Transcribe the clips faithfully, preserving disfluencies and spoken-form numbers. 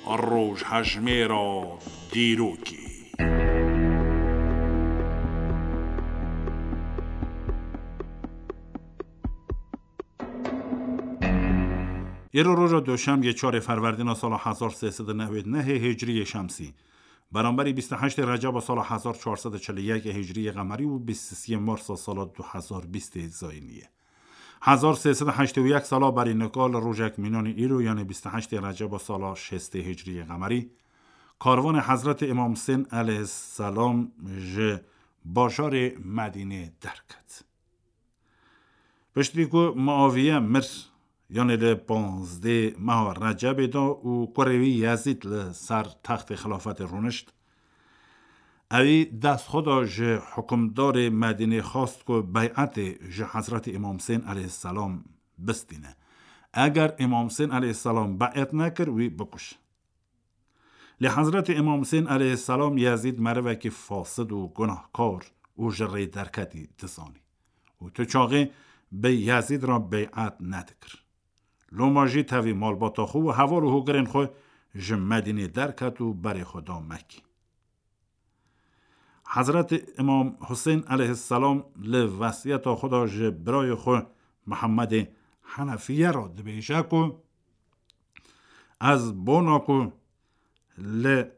Rojhejmêra dîrokê. Îro roja Doşemê, çarê Ferwerdîna sala hezar sê sed û newêd nehê Hicriyê Şemsî, beramberî bîst û heştê Receba sala hezar çar sed û çil û yek Hicriyê Qemerî û bîst û sê Marsa sala du hezar bîstê Zayînî ye. Hezar sê sed û heştê û yek sala berî nika li rojek mînanî îro, yanê bîst û heştê Receba sala şêstê Hicriyê Qemerî, karvanê Hezretê Îmam Husên eleyhisselam ji bajarê Medînê derket. Piştî ku Muaviye mir, yanê li panzdê meha Recebê de û kurê wî Yezîd li ser textê xilafetê rûnişt, ewî dest xwe da ji hukimdarê Medînê, xwest ku beyetê ji Hezretî Îmam Husên eleyhisselam bistîne. Eger Îmam Husên eleyhisselam beyet nekir, wî bikuş. Lê Hezretî Îmam Husên eleyhisselam Yezîd merivekî fasid û gunahkar û ji rê derketî dizanî û tu çaxê bi Yezîd re beyet nedikir. Loma jî tevî malbata xwe û heval û hogirên xwe ji Medînê derket û berê xwe da Mekkî. Hezretî Îmam Husên eleyhisselam li wesiyeta xwe de ji birayê xwe Mihemedê Henefiye re dibêje ku, ez bona ku li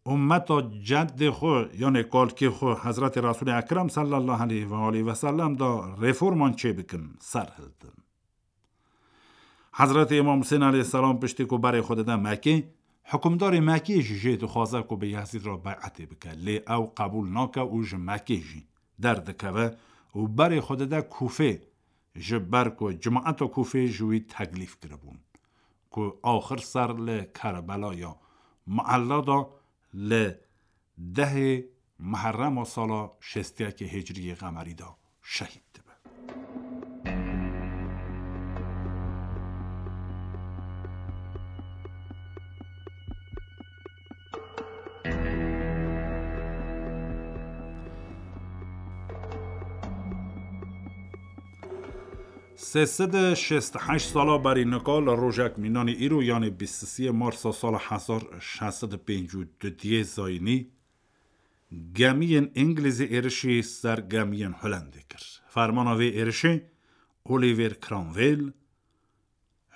ummeta ceddê xwe, yanê kalkê xwe, Hezretî Resûlê Ekrem sallallahu aleyhi ve aleyhi ve sellem de reforman çêbikim, serhildim. Hezretî Îmam Husên eleyhisselam piştî ku berê xwe dide Mekkê, hukimdarê Mekkê jî jê dixwaze ku bi Yezîd re beyetê bike, lê ew qebûl nake û ji Mekkê jî derdikeve û berê xwe dide Kûfê, ji ber ku cemaeta Kûfê ji wî teklîf kiribûn ku axir ser li Kerbela ya Muella de li dehê Muherrema sala şêst û yekê Hicriyê Qemerî de şehîd dibe. Sê sed û şêst û heşt sala berî nika li rojek mînanî îro, yanê bîst û sê Marsa sala hezar şeş sed û pêncî û du diyê Zayînî, gemiyên Îngilîzî êrişî ser gemiyên Holendê kir. Fermana vê êrişê Oliver Cromwell,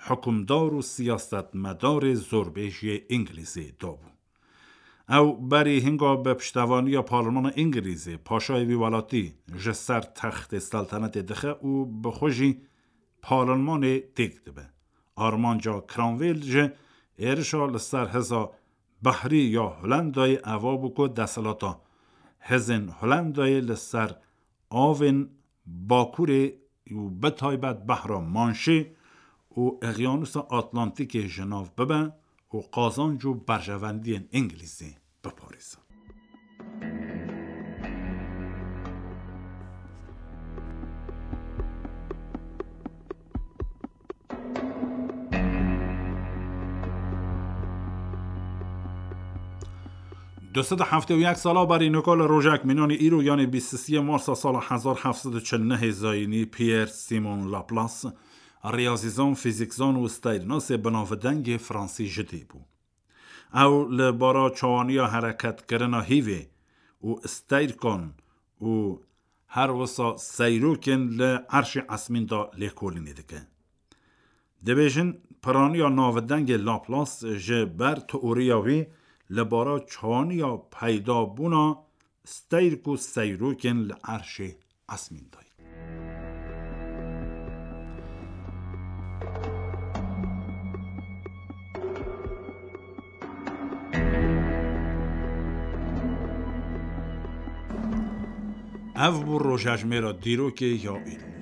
hukimdar û siyasetmedarê zorbêjiyê Îngilîzê dabû. Ew berî hinga bi piştevaniya Parlemana Îngilîzê paşayê wî welatî ji ser textê seltenetê dixe û bi xwe jî parlemanê têk dibe. Armanca Cromwell ji êrişa li ser hêza behrî ya Holendayê eva bû ku desthilata hêzên Holendayê li ser avên Bakurê û bi taybet behra Manşê û Eqyanusa Atlantîkê ji nav bibe û qazanc û berjewendiyên Îngilîzî biparêze. Du sed û heftê û yek sala berî nika li rojek mînanî îro, yanê bîst û sê Marsa sala hezar heft sed û çil û nehê Zayînî, Pierre Simon Laplace, riyazîzan, fîzîkzan û steyrnasê binavdengê fransî ji dê bû. Ew li bara çawaniya hereketkirina hîvê û steyrkan û her wisa seyrokên li erşê esmîn de lêkolînê dike. Dibêjin, piraniya navdengê Laplace ji ber teoriya wî li bara çawaniya peydabûna steyrk û seyrokên li erşê esmîn de ye. Ev bû rojhejmêra dîrokê ya îro.